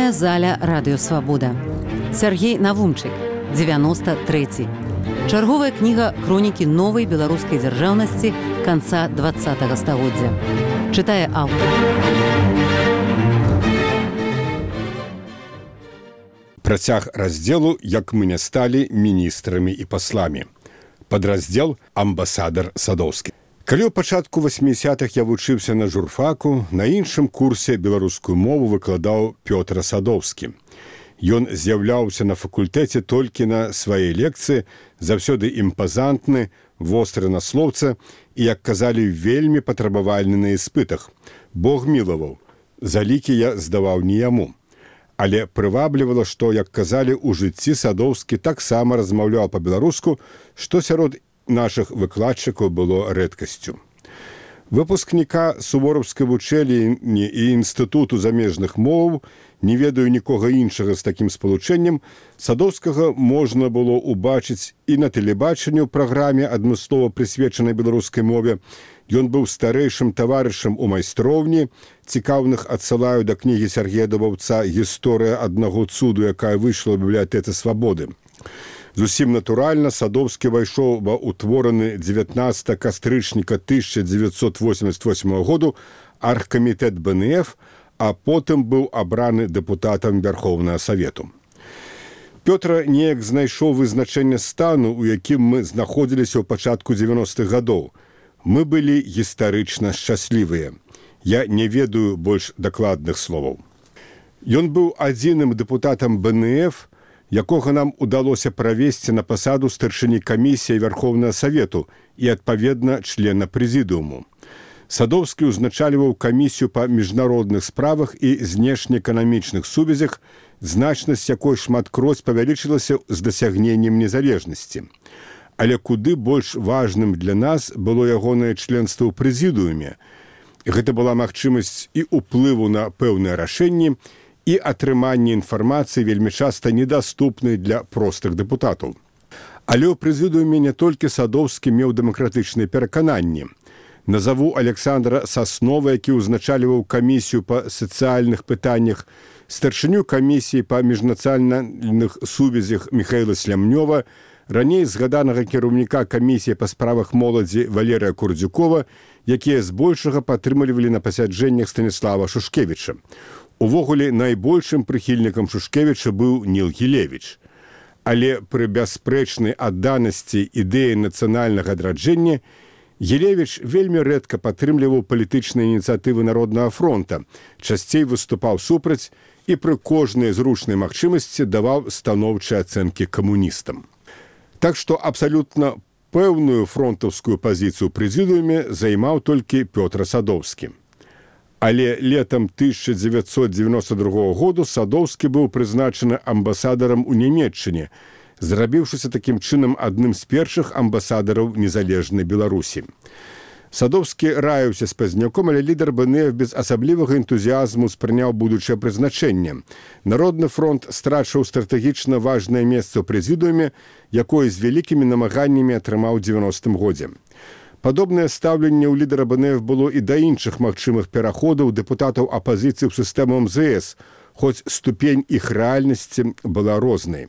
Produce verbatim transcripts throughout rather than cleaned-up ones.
Чытальная заля радыёвабода. Сяргей Навумчык, дзевяносто трэці. Чарговая кніга хронікі новай беларускай дзяржаўнасці канца двадцатага стагоддзя. Чытае аўтар. Працяг раздзелу «Як мы не сталі міністрамі і пасламі». Падраздзел «Амбасадар Садоўскі». Калі ў пачатку васьмідзясятых я вучыўся на журфаку, на іншым курсе беларускую мову выкладаў Пётр Садоўскі. Ён з'яўляўся на факультэце толькі на свае лекцыі, заўсёды імпазантны, востры на слоўца і, як казалі, вельмі патрабавальны на іспытах. Бог мілаваў, залікі я здаваў не яму. Але прываблівала, што, як казалі, у жыцці Садоўскі таксама размаўляў па-беларуску, што сярод нашых выкладчыкаў было рэдкасцю. Выпускніка сувораўскай вучэльні і інстытуту замежных моваў, не ведаю нікога іншага з такім спалучэннем, Садоўскага можна было ўбачыць і на тэлебачанні ў праграме, адмыслова прысвечанай беларускай мове. Ён быў старэйшым таварышам у майстроўні. Цікаўных адсылаю да кнігі Сяргея Дубаўца «Гісторыя аднаго цуду», якая выйшла ў бібліятэцы Свабоды. Зусім натуральна Садоўскі ўвайшоў ва ўтвораны дзевятнаццатага кастрычніка тысяча дзевяцьсот восемьдесят восьмага году аргкамітэт бэ эн эф, а потым быў абраны дэпутатам Вярхоўнага Савету. Пётра неяк знайшоў вызначэнне стану, у якім мы знаходзіліся ў пачатку дзевяностых гадоў. Мы былі гістарычна шчаслівыя. Я не ведаю больш дакладных словаў. Ён быў адзіным дэпутатам бэ эн эф, якога нам удалося правесці на пасаду старшыні камісіі Вярхоўнага Савету і, адпаведна, члена прэзідыуму. Садоўскі ўзначальваў камісію па міжнародных справах і знешнеэканамічных сувязях, значнасць якой шматкроць павялічылася з дасягненнем незалежнасці. Але куды больш важным для нас было ягонае членства ў прэзідыуме. Гэта была магчымасць і ўплыву на пэўныя рашэнні, і атрыманне інфармацыі вельмі часта недаступнай для простых дэпутатаў. Але ў прэзідыуме не толькі Садоўскі меў дэмакратычныя перакананні. Назаву Александра Саснова, які ўзначальваў камісію па сацыяльных пытаннях, старшыню камісіі па міжнацыянальных сувязях Міхаіла Слямнёва, раней згаданага кіраўніка камісіі па справах моладзі Валерыя Курдзюкова, якія збольшага падтрымлівалі на пасяджэннях Станіслава Шушкевіча. Увогуле, найбольшым прыхільнікам Шушкевіча быў Ніл Гілевіч. Але пры бясспрэчнай адданасці ідэі нацыянальнага адраджэння Гілевіч вельмі рэдка падтрымліваў палітычныя ініцыятывы Народнага фронта, часцей выступаў супраць і пры кожнай зручнай магчымасці даваў станоўчыя ацэнкі камуністам. Так што абсалютна пэўную фронтаўскую пазіцыю ў прэзідыуме займаў толькі Пётр Садоўскі. Але летам тысяча дзевяцьсот дзевяносто другога году Садоўскі быў прызначаны амбасадарам у Нямецчыне, зрабіўшыся такім чынам адным з першых амбасадараў незалежнай Беларусі. Садоўскі раіўся з пазняком, але лідар бэ эн эф без асаблівага энтузіязму спрыняў будучае прызначэнне. Народны фронт страчыў стратэгічна важнае месца ў прэзідыуме, якое з вялікімі намаганнямі атрымаў у дзевяностым годзе. Падобнае стаўленне ў лідара бэ эн эф было і да іншых магчымых пераходаў дэпутатаў апазіцыі ў сістэму эм зэ эс, хоць ступень іх рэальнасці была рознай.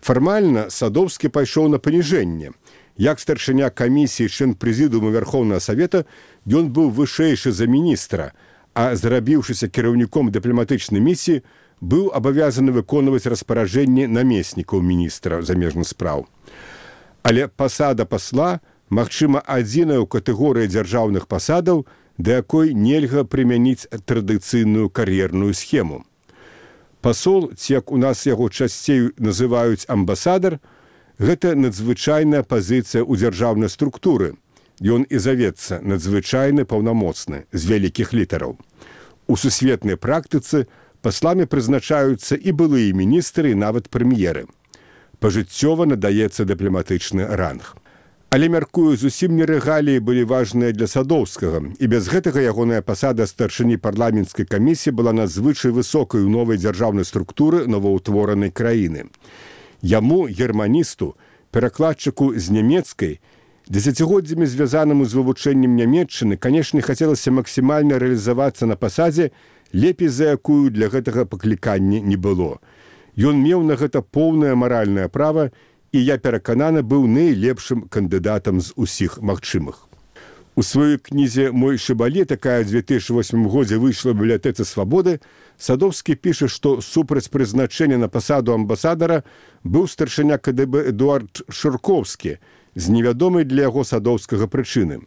Фармальна Садоўскі пайшоў на паніжэнне. Як старшыня камісіі член прэзідыума Вярхоўнага Савета, ён быў вышэйшы за міністра, а зрабіўшыся кіраўніком дыпламатычнай місіі, быў абавязаны выконваць распараджэнні намеснікаў міністра замежных спраў. Але пасада пасла, магчыма, адзіная ў катэгорыі дзяржаўных пасадаў, да якой нельга прымяніць традыцыйную кар'ерную схему. Пасол, ці як у нас яго часцей называюць амбасадар, гэта надзвычайная пазіцыя ў дзяржаўнай структуры. Ён і завецца надзвычайны паўнамоцны, з вялікіх літараў. У сусветнай практыцы пасламі прызначаюцца і былыя міністры, і нават прэм'еры. Пажыццёва надаецца дыпламатычны ранг. Але, мяркую, зусім не рэгаліі былі важныя для Садоўскага, і без гэтага ягоная пасада старшыні парламенцкай камісіі была надзвычай высокай у новай дзяржаўнай структуры новаўтворанай краіны. Яму, германісту, перакладчыку з нямецкай, дзесяцігоддзямі звязанаму з вывучэннем Нямецчыны, канешне, хацелася максімальна рэалізавацца на пасадзе, лепей за якую для гэтага паклікання не было. Ён меў на гэта поўнае маральнае права, і я перакананы быў найлепшым кандыдатам з усіх магчымых. У сваёй кнізе «Мой шыбале», такая ў дзве тысячы восьмым годзе выйшла ў бібліятэцы «Свабоды», Садовскі піша, што супраць прызначэння на пасаду амбасадара быў старшыня ка дэ бэ Эдуард Шыркоўскі з невядомай для яго садоўскага прычыны.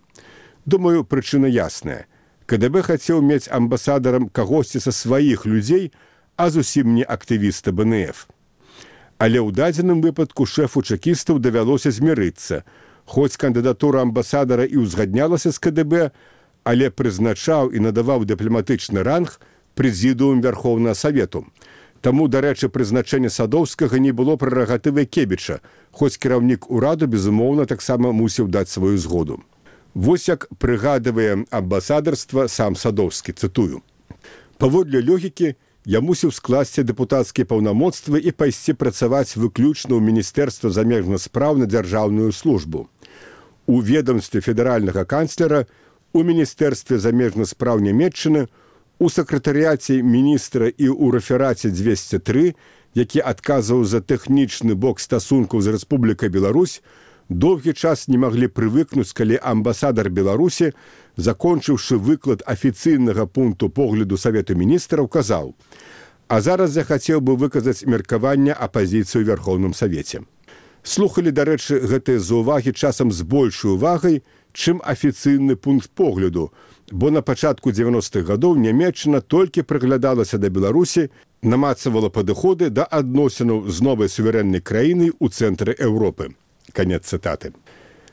Думаю, прычына ясная. ка дэ бэ хацеў мець амбасадарам кагосьці са сваіх людзей, а зусім не актывіста бэ эн эф. Але ў дадзеным выпадку шэфу чэкістаў давялося змірыцца. Хоць кандыдатура амбасадара і ўзгаднялася з ка дэ бэ, але прызначаў і надаваў дыпламатычны ранг прэзідыум Вярхоўнага Савету. Таму, дарэчы, прызначэнне Садоўскага не было прэрагатывай Кебіча, хоць кіраўнік ураду, безумоўна, таксама мусіў даць сваю згоду. Вось як прыгадывае амбасадарства сам Садоўскі, цытую. Паводле логікі, я мусіў скласці дэпутацкія паўнамоцтвы і пайсці працаваць выключна ў Міністэрства замежных спраў на дзяржаўную службу. У ведомстве федэральнага канцлера, у Міністэрстве замежных спраў Нямецчыны, у сакратарыяце міністра і ў рэфераце дзвесце тры, які адказваў за тэхнічны бок стасункаў з Рэспублікай Беларусь, доўгі час не маглі прывыкнуць, калі амбасадар Беларусі, закончыўшы выклад афіцыйнага пункту погляду Савету міністраў, казаў: «А зараз я хацеў бы выказаць меркаванне апазіцыі ў Вярхоўным Савеце». Слухалі, дарэчы, гэтыя заўвагі часам з большай увагай, чым афіцыйны пункт погляду, бо на пачатку дзевяностых гадоў Нямецчына толькі прыглядалася да Беларусі, намацавала падыходы да адносінаў з новай суверэннай краінай у цэнтры Еўропы. Канец цытаты.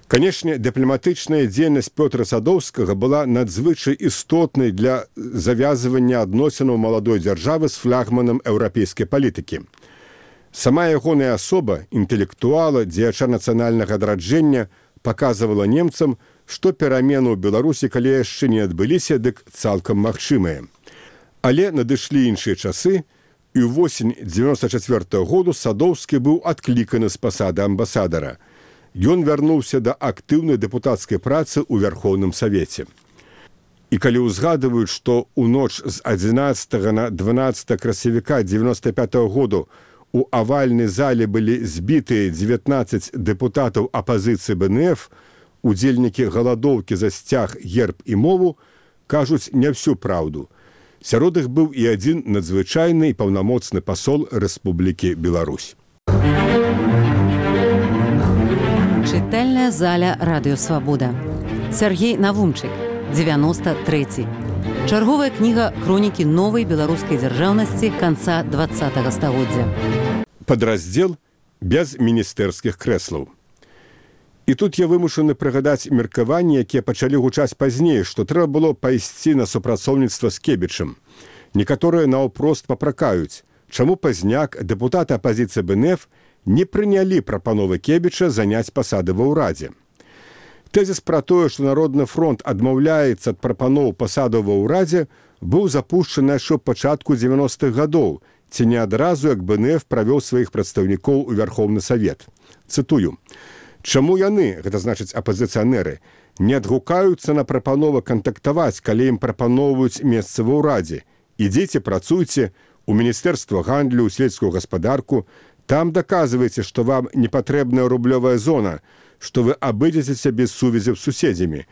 Канешне, дыпламатычная дзейнасць Пётра Садоўскага была надзвычай істотнай для завязвання адносінаў маладой дзяржавы з флагманам еўрапейскай палітыкі. Сама ягоная асоба, інтэлектуала, дзеяча нацыянальнага адраджэння, паказвала немцам, што перамены ў Беларусі, калі яшчэ не адбыліся, дык цалкам магчымыя. Але надышлі іншыя часы, і ўвосень дзевяноста чацвёртага году Садоўскі быў адкліканы з пасады амбасадара. Ён вярнуўся да актыўнай дэпутацкай працы ў Вярхоўным Савеце. І калі ўзгадваюць, што ў ноч з адзінаццатага на дванаццатае красавіка дзевяноста пятага году у авальнай зале былі збітыя дзевятнаццаць дэпутатаў апазіцыі бэ эн эф, удзельнікі галадоўкі за сцяг, герб і мову, кажуць не всю праўду. Сярод іх быў і адзін надзвычайны і паўнамоцны пасол Рэспублікі Беларусь. Чытальная заля радыё «Свабода». Сергей Навумчык, дзевяноста трэці. Чарговая кніга хронікі новай беларускай дзяржаўнасці канца дваццатага стагоддзя. Падраздзел без міністэрскіх крэслаў. І тут я вымушаны прыгадаць меркаванні, якія пачалі гучаць пазней, што трэба было пайсці на супрацоўніцтва з Кебічам. Некаторыя наўпрост папракаюць, чаму пазняк дэпутаты апазіцыі бэ эн эф не прынялі прапановы Кебіча заняць пасады ва ўрадзе. Тэзіс пра тое, што Народны фронт адмаўляецца ад прапаноў пасаду ва ўрадзе, быў запушчаны яшчэ ў пачатку дзевяностых гадоў, ці не адразу, як бэ эн эф правёў сваіх прадстаўнікоў у Вярхоўны Савет. Цытую. «Чаму яны, гэта значыць апазіцыянеры, не адгукаюцца на прапановы кантактаваць, калі ім прапаноўваюць месца ва ўрадзе? Ідзіце, працуйце у Міністэрства гандлю, у сельскую гаспадарку, там даказвайце, што вам не патрэбная рублёвая зона, што вы абыдзецеся без сувязяў з суседзямі.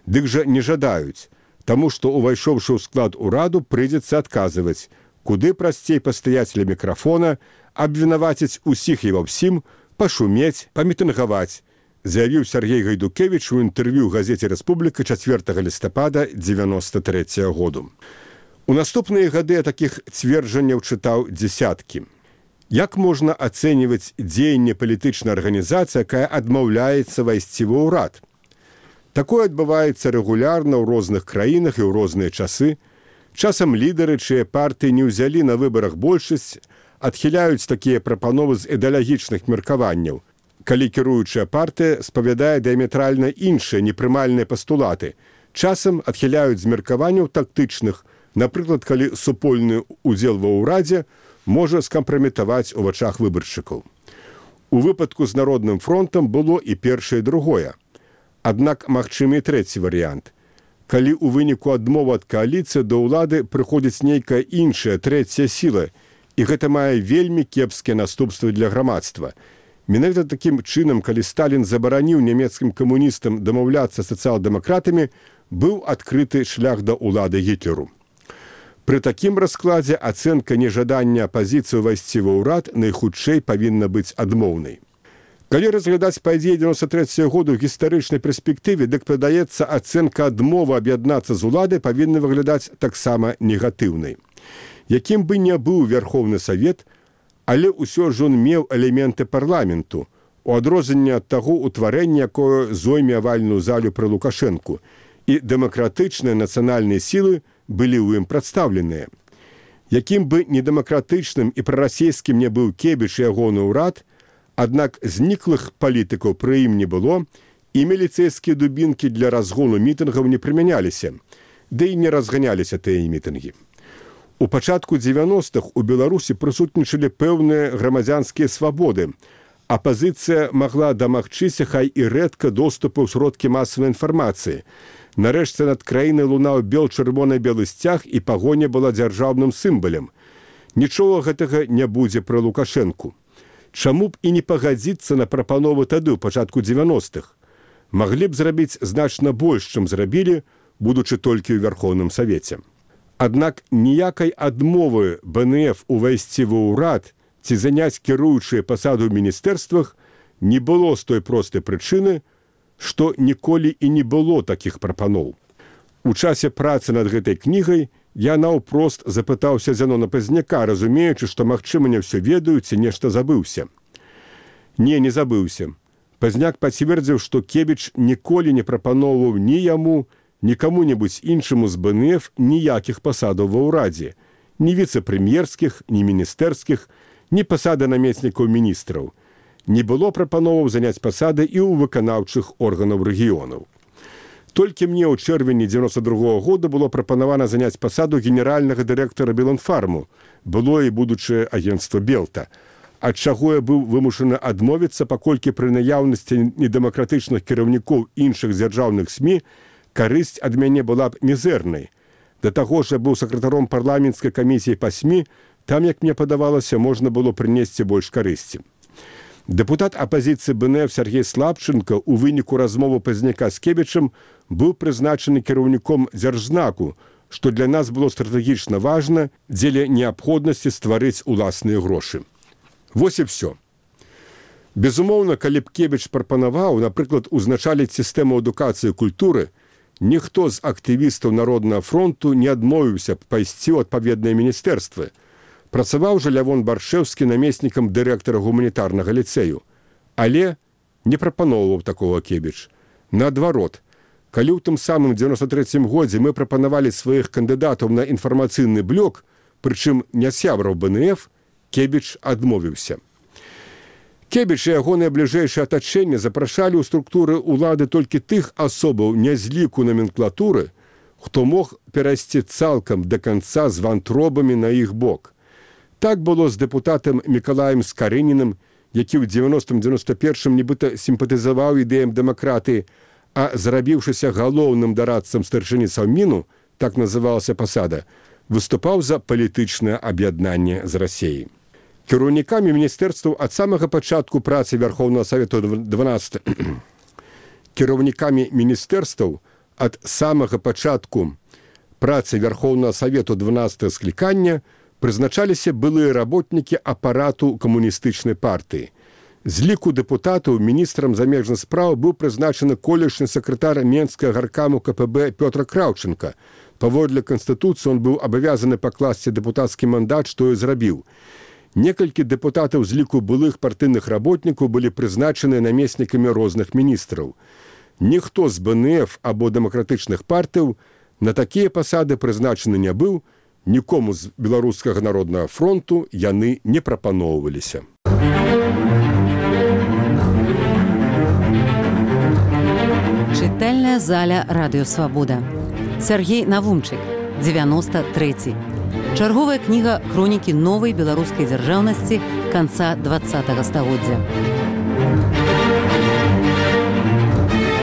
Дык жа не жадаюць, таму што, увайшоўшы ў склад ураду, прыйдзецца адказваць, куды прасцей пастаяць ля мікрафона, абвінаваціць усіх і ва ўсім, пашумець, памітынгаваць», заявіў Сергей Гайдукевіч у інтэрв'ю газеце «Рэспубліка» чацвёртага лістапада дзевяноста трэцяга году. У наступныя гады я такіх цверджанняў чытаў дзесяткі. Як можна ацэньваць дзеянне палітычнай арганізацыі, якая адмаўляецца вайсці ва ўрад? Такое адбываецца рэгулярна ў розных краінах і ў розныя часы. Часам лідары, чыя партыі не ўзялі на выбарах большасць, адхіляюць такія прапановы з ідэалагічных меркаванняў, калі кіруючая партыя спавядае дыаметральна іншыя непрымальныя пастулаты. Часам адхіляюць з меркаванняў тактычных, напрыклад, калі супольны ўдзел ва ўрадзе можа скампраметаваць у вачах выбаршчыкаў. У выпадку з Народным фронтам было і першае і другое. Аднак магчымы і трэці варыянт. калі ў выніку адмовы ад кааліцыі да ўлады прыходзіць нейкая іншая, трэцяя сіла, і гэта мае вельмі кепскія наступствы для грамадства. Менавіта такім чынам, калі Сталін забараніў нямецкім камуністам дамаўляцца з сацыял-дэмакратамі, быў адкрыты шлях да ўлады Гітлеру. Пры такім раскладзе ацэнка нежадання апазіцыі ўвайсці ва ўрад найхутчэй павінна быць адмоўнай. Калі разглядаць падзеі дзевяносто трэцяга году ў гістарычнай перспектыве, дык падаецца, ацэнка адмовы аб'яднацца з уладай павінна выглядаць таксама негатыўнай. Якім бы не быў Верховны Савет, але ўсё ж ён меў элементы парламенту, у адрозненне ад таго ўтварэння, якое зойме авальную залю пры Лукашэнку, і дэмакратычныя нацыянальныя сілы былі ў ім прадстаўленыя. Якім бы недэмакратычным і прарасійскім не быў Кебіч і ягоны ўрад, аднак зніклых палітыкаў пры ім не было, і міліцэйскія дубінкі для разгону мітынгаў не прымяняліся, ды і не разганяліся тыя мітынгі. У пачатку дзевяностых у Беларусі прысутнічалі пэўныя грамадзянскія свабоды. Апазіцыя магла дамагчыся хай і рэдка доступу ў сродкі масавай інфармацыі. Нарэшце над краінай лунаў бел-чырвона-белы сцяг, і пагоня была дзяржаўным сімвалам. Нічога гэтага не будзе пры Лукашэнку. Чаму б і не пагадзіцца на прапановы тады ў пачатку дзевяностых? Маглі б зрабіць значна больш, чым зрабілі, будучы толькі ў Верховным Савеце. Аднак ніякай адмовы бэ эн эф увайсці ва ўрад ці заняць кіруючыя пасаду ў міністэрствах не было з той простай прычыны, што ніколі і не было такіх прапаноў. У часе працы над гэтай кнігай я наўпрост запытаўся Зянона Пазняка, разумеючы, што, магчыма, не ўсё ведаю ці нешта забыўся. Не, не забыўся. Пазняк пацвердзіў, што Кебіч ніколі не прапаноўваў ні яму, ні каму-небудзь іншаму з бэ эн эф ніякіх пасадаў ва ўрадзе, ні віцэ-прэм'ерскіх, ні міністэрскіх, ні пасады намеснікаў міністраў. Не было прапановаў заняць пасады і ў выканаўчых органаў рэгіёнаў. Толькі мне ў чэрвені дзевяносто другога года было прапанавана заняць пасаду генеральнага дырэктара Беланфарму, было і будучае агенцтва Белта, ад чаго я быў вымушаны адмовіцца, паколькі пры наяўнасці недэмакратычных кіраўнікоў іншых дзяржаўных СМІ карысць ад мяне была б мізэрнай. Да таго ж я быў сакратаром парламенцкай камісіі па СМІ, там, як мне падавалася, можна было прынесці больш карысці. Дэпутат апазіцыі бэ эн эф Сергей Слабченко у выніку размовы Пазняка з Кебічам быў прызначаны кіраўніком дзяржзнаку, што для нас было стратэгічна важна дзеля неабходнасці стварыць уласныя грошы. Вось і ўсё. Безумоўна, калі б Кебіч прапанаваў, напрыклад, узначаліць сістэму адукацыі і культуры, ніхто з актывістаў Народнага фронту не адмовіўся б пайсці ў адпаведныя міністэрствы. Працаваў жа Лявон Баршэўскі намеснікам дырэктара гуманітарнага ліцэю. Але не прапаноўваў такога Кебіч. Наадварот, калі ў тым самым дзевяносто трэцім годзе мы прапанавалі сваіх кандыдатаў на інфармацыйны блок, прычым не сябраў бэ эн эф, Кебіч адмовіўся. Кебіч і ягонае бліжэйшае атачэнне запрашалі ў структуры ўлады толькі тых асобаў не з ліку номенклатуры, хто мог перайсці цалкам да канца з вантробамі на іх бок. Так было з дэпутатам Мікалаем Скарынінам, які ў дзевяностым дзевяносто першым нібыта сімпатызаваў ідэям дэмакратыі, а зрабіўшыся галоўным дарадцам старшыні Саўміну, так называлася пасада, выступаў за палітычнае аб'яднанне з Расіяй. Кіраўнікамі міністэрстваў ад самага пачатку працы Верховнага Савету дванадцатага кіраўнікамі міністэрстваў ад самага пачатку працы Верховнага Савету дванадцатага склікання прызначаліся былыя работнікі апарату камуністычнай партыі. З ліку дэпутатаў міністрам замежных спраў быў прызначаны колішні сакратар Менскага гаркаму ка пэ бэ Пётр Краўченка. Паводле Канстытуцыі он быў абавязаны пакласці дэпутацкі мандат, што і зрабіў. Некалькі дэпутатаў з ліку былых партыйных работнікаў былі прызначаны намеснікамі розных міністраў. Ніхто з бэ эн эф або дэмакратычных партыяў на такія пасады прызначаны не быў, нікому з Беларускага народнага фронту яны не прапаноўваліся. Чытальная заля Радыё Свабода. Сергей Навумчык, дзевяносто трэці. Чарговая кніга хронікі новай беларускай дзяржаўнасці канца дваццатага стагоддзя.